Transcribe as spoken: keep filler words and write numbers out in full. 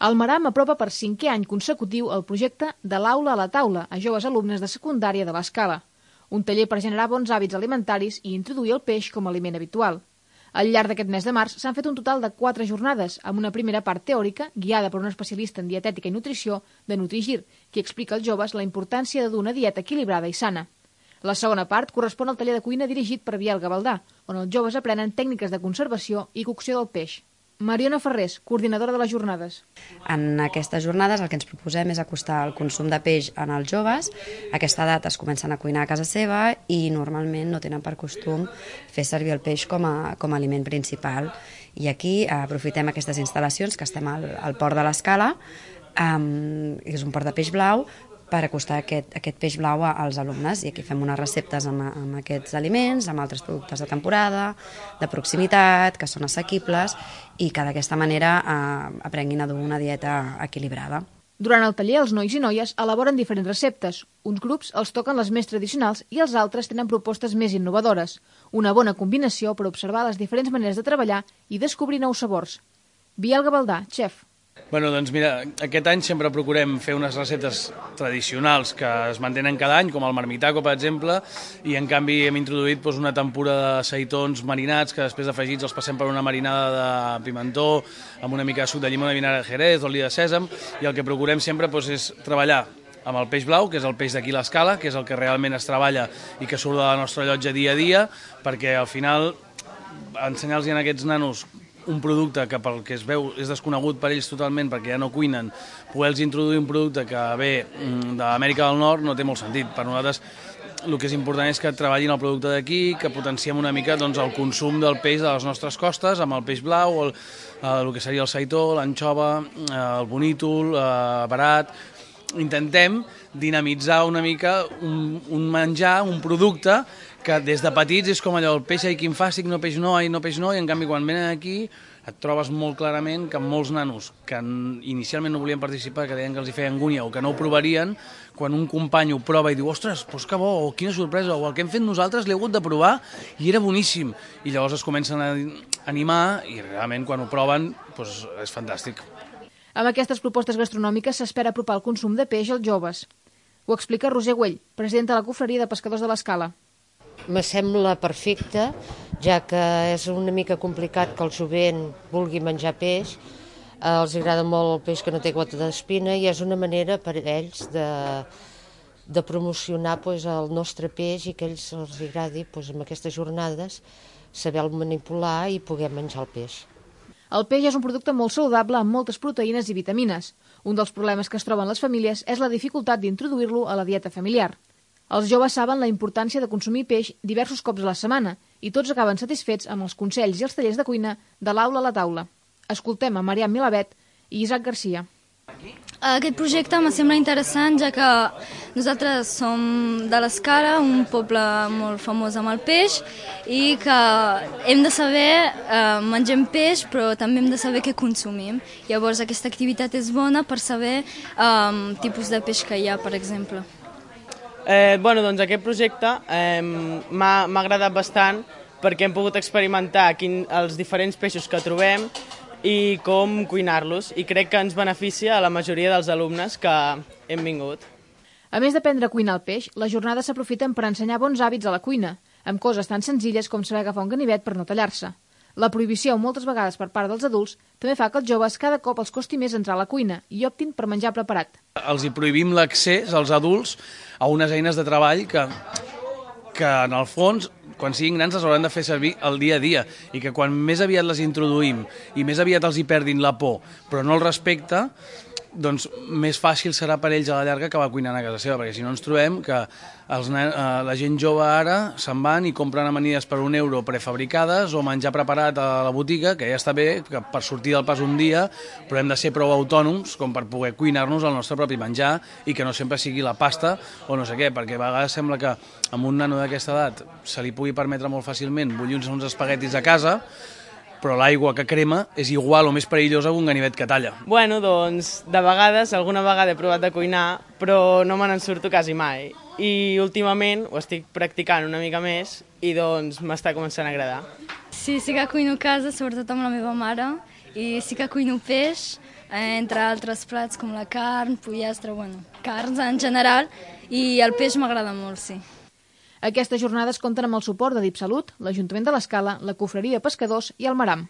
El Maram apropa per cinquè any consecutiu el projecte de l'aula a la taula a joves alumnes de secundària de l'Escala, un taller per generar bons hàbits alimentaris i introduir el peix com a aliment habitual. Al llarg d'aquest mes de març s'han fet un total de quatre jornades, amb una primera part teòrica, guiada per un especialista en dietètica i nutrició, de Nutrigir, qui explica als joves la importància de dur una dieta equilibrada i sana. La segona part correspon al taller de cuina dirigit per Biel Gavaldà, on els joves aprenen tècniques de conservació i cocció del peix. Mariona Ferrés, coordinadora de les jornades. En aquestes jornades el que ens proposem és acostar el consum de peix en els joves. A aquesta edat es comencen a cuinar a casa seva i normalment no tenen per costum fer servir el peix com a, com a aliment principal. I aquí aprofitem aquestes instal·lacions, que estem al, al port de l'Escala, um, és un port de peix blau, per acostar aquest, aquest peix blau als alumnes. I aquí fem unes receptes amb, amb aquests aliments, amb altres productes de temporada, de proximitat, que són assequibles, i que d'aquesta manera eh, aprenguin a dur una dieta equilibrada. Durant el taller, els nois i noies elaboren diferents receptes. Uns grups els toquen les més tradicionals i els altres tenen propostes més innovadores. Una bona combinació per observar les diferents maneres de treballar i descobrir nous sabors. Biel Gavaldà, xef. Bueno, doncs mira, aquest any sempre procurem fer unes receptes tradicionals que es mantenen cada any, com el marmitaco, per exemple, i en canvi hem introduït doncs, una tempura de seitons marinats que després afegits els passem per una marinada de pimentó amb una mica de suc de llimona, vinagre de jerez, oli de sèsam, i el que procurem sempre doncs, és treballar amb el peix blau, que és el peix d'aquí l'Escala, que és el que realment es treballa i que surt de la nostra llotja dia a dia, perquè al final ensenyar-los a aquests nanos un producte que pel que es veu és desconegut per ells totalment perquè ja no cuinen, poder-los introduir un producte que ve de l'Amèrica del Nord no té molt sentit. Per nosaltres el que és important és que treballin el producte d'aquí, que potenciem una mica doncs, el consum del peix de les nostres costes, amb el peix blau, el, el que seria el seitó, l'anxova, el bonítol, el barat. Intentem dinamitzar una mica un, un menjar, un producte que des de petits és com allò, el peix ai quin fàstic, no peix no, ai no peix no, i en canvi quan venen aquí et trobes molt clarament que molts nanos que inicialment no volien participar, que deien que els hi feia angúnia o que no ho provarien, quan un company ho prova i diu, ostres, doncs que bo, o quina sorpresa, o el que hem fet nosaltres l'he hagut de provar i era boníssim. I llavors es comencen a animar i realment quan ho proven doncs és fantàstic. Amb aquestes propostes gastronòmiques s'espera apropar el consum de peix als joves. Ho explica Roser Güell, presidenta de la Confraria de Pescadors de l'Escala. Me sembla perfecte, ja que és una mica complicat que el jovent vulgui menjar peix. Els agrada molt el peix que no té gota d'espina i és una manera per a ells de, de promocionar pues, el nostre peix i que ells els agradi pues, amb aquestes jornades saber-lo manipular i poder menjar el peix. El peix és un producte molt saludable amb moltes proteïnes i vitamines. Un dels problemes que es troben les famílies és la dificultat d'introduir-lo a la dieta familiar. Els joves saben la importància de consumir peix diversos cops a la setmana i tots acaben satisfets amb els consells i els tallers de cuina de l'aula a la taula. Escoltem a Mariam Milavet i Isaac Garcia. Aquest projecte me sembla interessant, ja que nosaltres som de l'Escala, un poble molt famós amb el peix, i que hem de saber, eh, mengem peix, però també hem de saber què consumim. Llavors aquesta activitat és bona per saber eh, tipus de peix que hi ha, per exemple. Eh, bueno, doncs aquest projecte eh, m'ha agradat bastant perquè hem pogut experimentar quin, els diferents peixos que trobem i com cuinar-los, i crec que ens beneficia a la majoria dels alumnes que hem vingut. A més d'aprendre a cuinar el peix, les jornades s'aprofiten per ensenyar bons hàbits a la cuina, amb coses tan senzilles com saber agafar un ganivet per no tallar-se. La prohibició, moltes vegades per part dels adults, també fa que els joves cada cop els costi més entrar a la cuina i optin per menjar preparat. Els hi prohibim l'accés als adults a unes eines de treball que, que en el fons, quan siguin grans, les hauran de fer servir el dia a dia i que quan més aviat les introduïm i més aviat els hi perdin la por, però no el respecte, doncs més fàcil serà per ells a la llarga acabar cuinant a casa seva, perquè si no ens trobem que els, eh, la gent jove ara se'n van i compren amanides per un euro prefabricades o menjar preparat a la botiga, que ja està bé que per sortir del pas un dia, però hem de ser prou autònoms com per poder cuinar-nos el nostre propi menjar i que no sempre sigui la pasta o no sé què, perquè a vegades sembla que amb un nano d'aquesta edat se li pugui permetre molt fàcilment bullir uns espaguetis a casa, però l'aigua que crema és igual o més perillosa que un ganivet que talla. Bueno, doncs, de vegades, alguna vegada he provat de cuinar, però no me n'en surto quasi mai. I últimament ho estic practicant una mica més i doncs m'està començant a agradar. Sí, sí que cuino a casa, sobretot amb la meva mare, i sí que cuino peix, eh, entre altres plats com la carn, pollastre, bueno, carns en general, i el peix m'agrada molt, sí. Aquestes jornades compten amb el suport de DipSalut, l'Ajuntament de l'Escala, la Confraria de Pescadors i el Maram.